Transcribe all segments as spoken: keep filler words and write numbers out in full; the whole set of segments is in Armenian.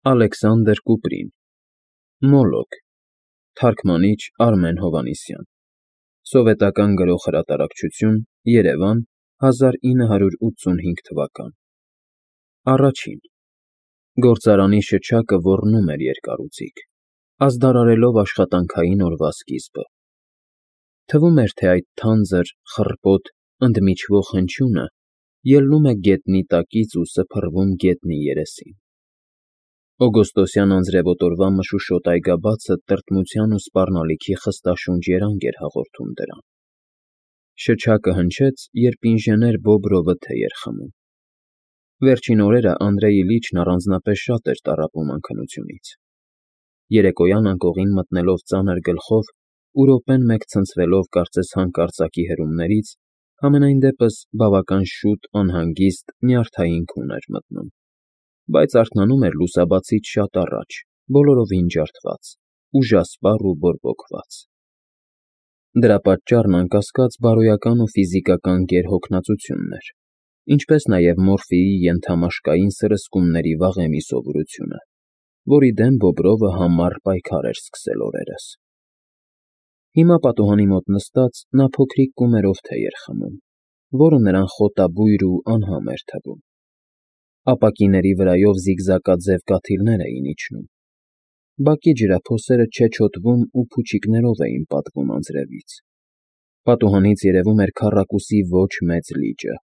Ալեքսանդր Կուպրին, Մոլոք, թարգմանիչ Արմեն Հովհաննիսյան, սովետական գրող֊հրատարակչություն, Երևան, հազար ինը հարյուր ութսունհինգ թվական։ Առաջին Գործարանի շչակը ոռնում էր երկարուձիգ, ազդարարելով աշխատանքային օրվա սկիզբը։ Թվում էր, թե այդ թանձր, խռպոտ, ընդմիջվող հնչյունը ելնում է գետնի տակից ու սփռվում գետնի երեսին։ Օգոստոսյան անձրևոտ օրվա մշուշոտ այգաբացը տրտմության ու սպառնալիքի խստաշունչ երանգ էր հաղորդում դրան։ Շչակը հնչեց, երբ ինժեներ Բոբրովը թեյ էր խմում։ Վերջին օրերը Անդրեյ Իլիչն առանձնապես շատ էր տառապում անքնությունից։ Երեկոյան անկողին մտնելով ծանր գլխով ու րոպեն մեկ ցնցվելով կարծես հանկարծակի հրումներից, համենայն դեպս բավական շուտ անհանգիստ, նյարդային քուն էր մտնում, բայց արթնանում էր լուսաբացից շատ առաջ, բոլորովին ջարդված, ուժասպառ ու բորբոքված։ Դրա պատճառն անկասկած բարոյական ու ֆիզիկական գերհոգնածությունն էր, ինչպես նաև մորֆիի ենթամաշկային սրսկումների վաղեմի սովորությունը, որի դեմ Բոբրովը համառ պայքար էր սկսել օրերս։ Հիմա պատուհանի մոտ նստած նա փոքրիկ կումերով թեյ էր խմում, որը նրան խոտաբույր ու անհամ էր թվում։ Ապակիների վրայով զիգզակաձև կաթիլներ էին իջնում։ Բակի ջրափոսերը չեչոտվում ու փուչիկներով էին պատվում անձրևից։ Պատուհանից երևում էր քառակուսի ոչ մեծ լիճը,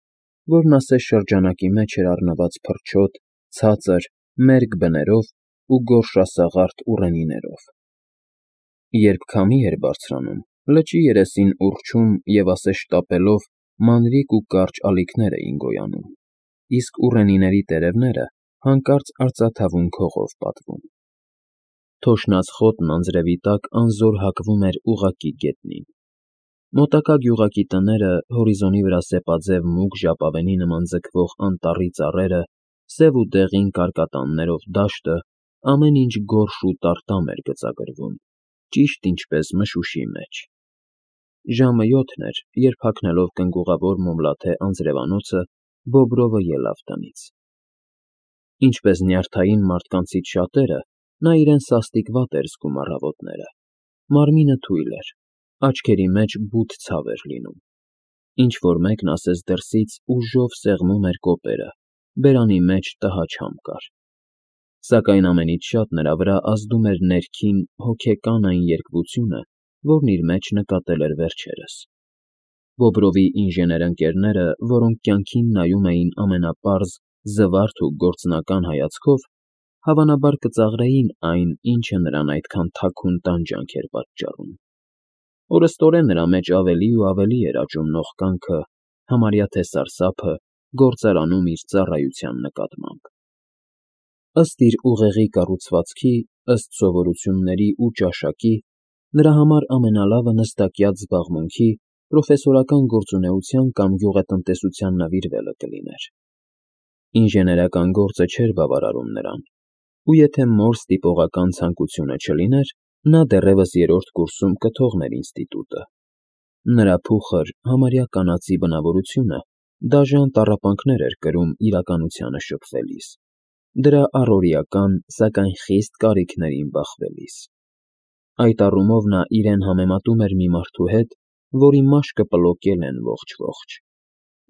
որն ասես շրջանակի մեջ էր առնված փրչոտ, ցածր, մերկ բներով ու գորշասաղարթ ուռենիներով։ Երբ քամի էր բարձրանում, լճի երեսին ուռչում և ասես շտապելով մանրիկ ու կարճ ալիքներ էին գոյանում, իսկ ուռենիների տերևները հանկարծ արծաթավուն քողով պատվում։ Թոշնած խոտն անձրևի տակ անզոր հակվում էր ուղղակի գետնին։ Մոտակա գյուղակի տները, հորիզոնի վրա սեպաձև մուգ ժապավենի նման ձգվող անտառի ծառերը, սև ու դեղին կարկատաններով դաշտը, ամեն ինչ գորշ ու տարտամ էր գծագրվում, ճիշտ ինչպես մշուշի մեջ։ Ժամը յոթն էր, երբ հագնելով կնգուղավոր մոմլաթե անձրևանոցը Բոբրովը ելավ տնից։ Ինչպես նյարդային մարդկանցից շատերը, նա իրեն սաստիկ վատ էր զգում առավոտները, մարմինը թույլ էր, աչքերի մեջ բութ ցավ էր լինում։ Ինչ֊որ մեկն ասես դրսից ուժով սեղմում էր կոպերը, բերանի մեջ տհաճ համ կար։ Սակայն ամենից շատ նրա վրա ազդում էր ներքին, հոգեկան այն երկվությունը, որն իր մեջ նկատել էր վերջերս։ Բոբրովի ինժեներ֊ընկերները, որոնք կյանքին նայում էին ամենապարզ, զվարթ ու գործնական հայացքով, հավանաբար կծաղրեին այն, ինչը նրան այդքան թաքուն տանջանք էր պատճառում։ Օրըստօրեն նրա մեջ ավելի ու ավելի էր աճում նողկանքը, համարյա թե սարսափը, գործարանում իր ծառայության նկատմամբ։ Ըստ իր ուղեղի կառուցվածքի, ըստ սովորությունների ու ճաշակի, նրա համար ամենալավը նստակյաց զբաղմունքի, պրոֆեսորական գործունեության կամ գյուղատնտեսության նվիրվելը կլիներ։ Ինժեներական գործը չէր բավարարում նրան, ու եթե մոր ստիպողական ցանկությունը չլիներ, նա դեռևս երրորդ կուրսում կթողներ ինստիտուտը։ Նրա փուխր, համարյա կանացի բնավորությունը դաժան տառապանքներ էր կրում իրականությանը շփվելիս, դրա առօրեական, սակայն խիստ կարիքներին բախվելիս։ Այդ առումով նա իրեն համեմատում էր մի մարդու հետ, որի մաշկը պլոկել են ողջ֊ողջ։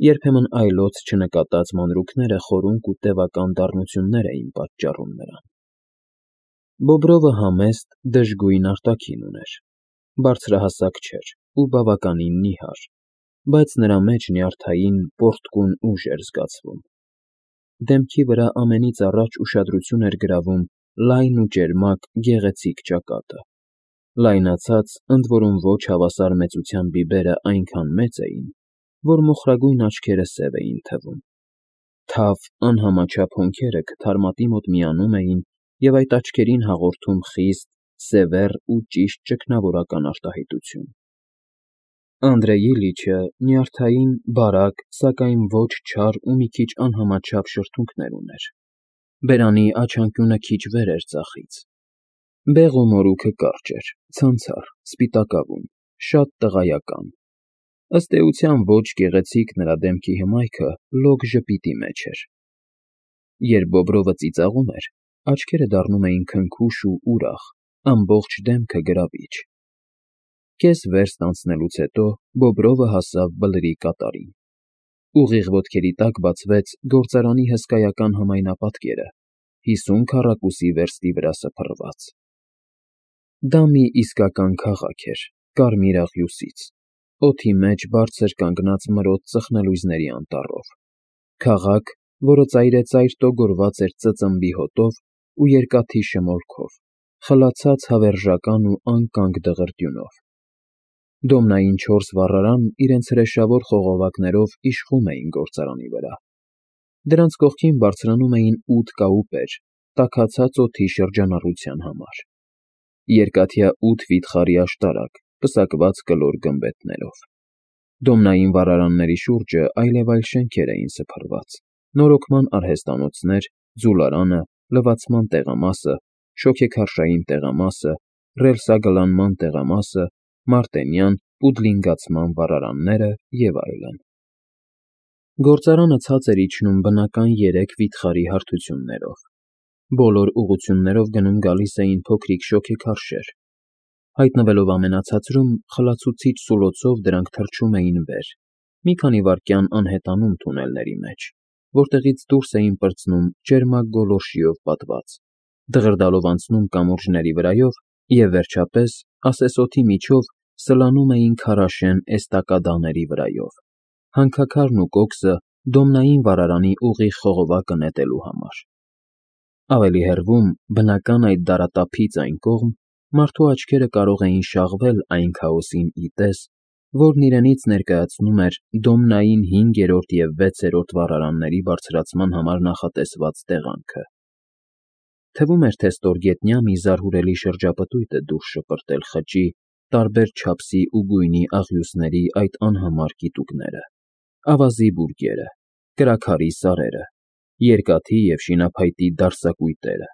Երբեմն այլոց չնկատած մանրուքները խորունկ ու տևական դառնություններ էին պատճառում նրան։ Բոբրովը համեստ, դժգույն արտաքին ուներ, բարձրահասակ չէր ու բավականին նիհար, բայց նրա մեջ նյարդային, պոռթկուն ուժ էր զգացվում։ Դեմքի վրա ամենից առաջ ուշադրություն էր գրավում լայն ու ճերմակ, գեղեցիկ ճակատը։ Լայնացած, ընդ որում ոչ հավասար մեծության բիբերը այնքան մեծ էին, որ մոխրագույն աչքերը սև էին թվում։ Թավ, անհամաչափ հոնքերը քթարմատի մոտ միանում էին և այդ աչքերին հաղորդում խիստ, սևեռ ու ճիշտ ճգնավորական արտահայտություն։ Անդրեյ Իլիչը նյարդային, բարակ, սակայն ոչ չար ու մի քիչ անհամաչափ շրթունքներ ուներ։ Բերանի աչանկյունը քիչ վեր էր ձախից։ Բեղ ու մորուքը կարճ էր, ցանցառ, սպիտակավուն, շատ տղայական։ Ըստ էության ոչ գեղեցիկ նրա դեմքի հմայքը լոկ ժպիտի մեջ էր։ Երբ Բոբրովը ծիծաղում էր, աչքերը դառնում էին քնքուշ ու ուրախ, ամբողջ դեմքը գրավիչ։ Կես վերստ անցնելուց հետո Բոբրովը հասավ Բլրի կատարին։ Ուղիղ ոտքերի տակ բացվեց գործարանի հսկայական համայնապատկերը, հիսուն քառակուսի վերստի վրա սփռված։ Դա մի իսկական քաղաք էր, կարմիր աղյուսից, օդի մեջ բարձր կանգնած մրոտ ծխնելույզների անտառով, քաղաք, որը ծայրեծայր տոգորված էր ծծմբի հոտով ու երկաթի շմորքով, խլացած հավերժական ու անկանգ դղրդյունով։ Դոմնային չորս վառարանն իրենց հրեշավոր խողովակներով իշխում էին գործարանի վրա։ Դրանց կողքին բարձրանում էին ութ կաուպեր, տաքացած օդի շրջանառության համար։ Երկաթյա ութ վիթխարի աշտարակ, պսակված կլոր գմբեթներով։ Դոմնային վառարանների շուրջը այլևայլ շենքեր էին սփռված, նորոգման արհեստանոցներ, ձուլարանը, լվացման տեղամասը, շոգեքարշային տեղամասը, ռելսագլանման տեղամասը, մարտենյան, պուդլինգացման վառարանները և այլն։ Գործարանը ցած էր իջնում բնական երեք վիթխարի հարթություններով։ Բոլոր ուղղություններով գնում֊գալիս էին փոքրիկ շոգեքարշեր։ Հայտնվելով ամենացածրում, խլացուցիչ սուլոցով դրանք թռչում էին վեր, մի քանի վայրկյան անհետանում թունելների մեջ, որտեղից դուրս էին պրծնում ճերմակ գոլորշիով պատված, դղրդալով անցնում կամուրջների վրայով և, վերջապես, ասեսոթի միջով սլանում էին քարաշեն էստակադաների վրայով, հանքաքարն ու կոքսը դոմնային վառարանի ուղիղ խողովակը նետելու համար։ Ավելի հեռվում, բնական այդ դարատափից այն կողմ, մարդու աչքերը կարող էին շաղվել այն քաոսին ի տես, որն իրենից ներկայացնում էր դոմնային հինգերորդ և վեցերորդ վառարանների բարձրացման համար նախատեսված տեղանքը։ Թվում էր, թե ստորգետնյա մի զարհուրելի շրջապտույտ է դուրս շպրտել խճի, տարբեր չափսի ու գույնի աղյուսների այդ անհամար կիտուկները, ավազի բուրգերը, կրաքարի սարերը, երկաթի և շինափայտի դարսակույտերը։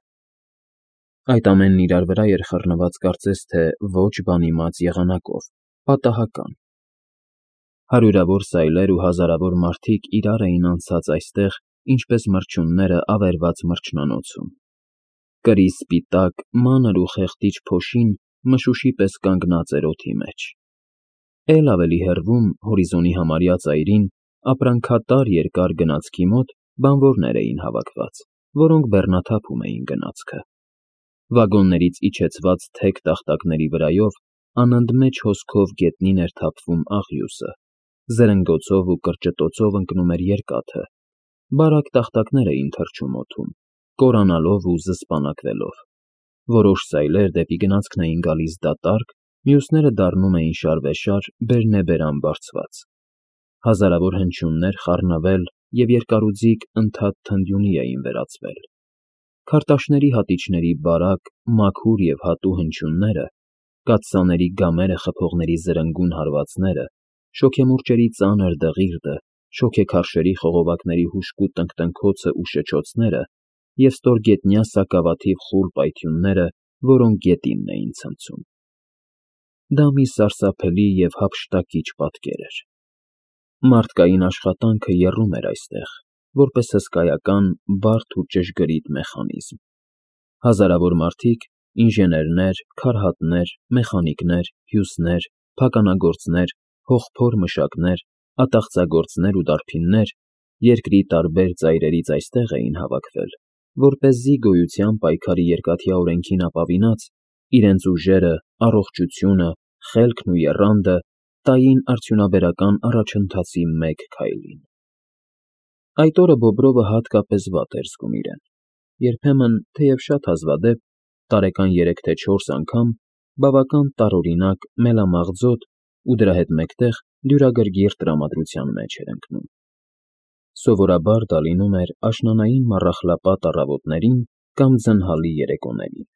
Այդ ամենն իրար վրա էր խռնված կարծես թե ոչ բանիմաց եղանակով, պատահական։ Հարյուրավոր սայլեր ու հազարավոր մարդիկ իրար էին անցած այստեղ, ինչպես մրջյունները ավերված մրջնանոցում։ Կրի սպիտակ, մանր ու խեղդիչ փոշին մշուշի պես կանգնած էր օդի մեջ։ Էլ ավելի հեռվում, հորիզոնի համարյա ծայրին, ապրանքատար երկար գնացքի մոտ բանվորներ էին հավաքված, որոնք բեռնաթափում էին գնացքը։ Վագոններից իջեցված թեք տախտակների վրայով անընդմեջ հոսքով գետնին էր թափվում աղյուսը, զրնգոցով ու կրճտոցով ընկնում էր երկաթը, բարակ տախտակներ էին թռչում օդում, կորանալով ու զսպանակվելով։ Որոշ սայլեր դեպի գնացքն էին գալիս դատարկ, մյուսները դառնում էին շարվեշար, բերնեբերան բարձված։ Հազարավոր հնչյուններ խառնվել և երկարուձիգ ընդհատ թնդյունի էին վերածվել։ Քարտաշների հատիչների բարակ, մաքուր և հատու հնչյունները, կաթսաների գամերը խփողների զրնգուն հարվածները, շոգեմուրջերի ծանր դղիրդը, շոգեքարշերի խողովակների հուժկու տնկտնքոցն ու շչոցները և ստորգետնյա սակավաթիվ խուլ պայթյունները, որոնք գետինն էին ցնցում։ Դա մի սարսափելի և հափշտակիչ պատկեր էր։ Մարդկային աշխատանքը եռում էր այստեղ, որպես հսկայական, բարդ ու ճշգրիտ մեխանիզմ։ Հազարավոր մարդիկ, ինժեներներ, քարհատներ, մեխանիկներ, հյուսներ, փականագործներ, հողփոր մշակներ, ատաղծագործներ ու դարբիններ երկրի տարբեր ծայրերից այստեղ էին հավաքվել, որպեսզի գոյության պայքարի երկաթյա օրենքին ապավինած, իրենց ուժերը, առողջությունը, խելքն ու եռանդը տային արդյունաբերական առաջընթացի մեկ քայլին։ Այդ օրը Բոբրովը հատկապես վատ էր զգում իրեն։ Երբեմն, թեև շատ հազվադեպ, տարեկան երեք թե չորս անգամ, բավական տարօրինակ, մելամաղձոտ ու դրա հետ մեկտեղ դյուրագրգիռ տրամադրության մեջ էր ընկնում։ Սովորաբար դա լինում էր աշնանային մառախլապատ առավոտներին կամ ձնհալի երեկոներին։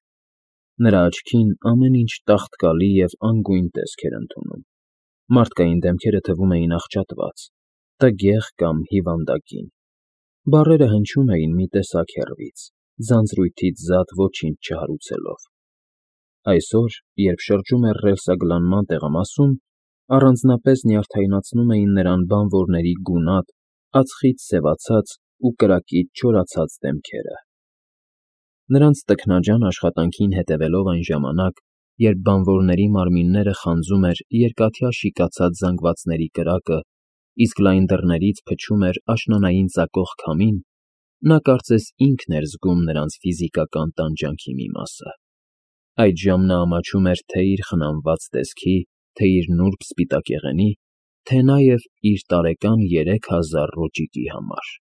Նրա աչքին ամեն ինչ տաղտկալի և անգույն տեսք էր ընդունում։ Մարդկային դեմքերը թվում էին աղճատված, տգեղ կամ հիվանդագին։ Բառերը հնչում էին մի տեսակ հեռվից, ձանձրույթից զատ ոչինչ չհարուցելով։ Այսօր, երբ շրջում էր ռելսագլանման տեղամասում, առանձնապես նյարդայնացնում էին նրան բանվորների գունատ, ածխից սևացած ու կրակից չորացած դեմքերը։ Նրանց տքնաջան աշխատանքին հետևելով այն ժամանակ, երբ բանվորների մարմինները խանձում էր երկաթյա շիկացած զանգվածների կրակը, իսկ լայն դռներից փչում էր աշնանային ծակող քամին, նա կարծես ինքն էր զգում նրանց ֆիզիկական տանջանքի մի մասը. այդժամ նա ամաչում էր թե՛ իր խնամված տեսքի, թե՛ իր նուրբ սպիտակեղենի, թե նաև իր տարեկան երեք հազար ռոճիկի համար։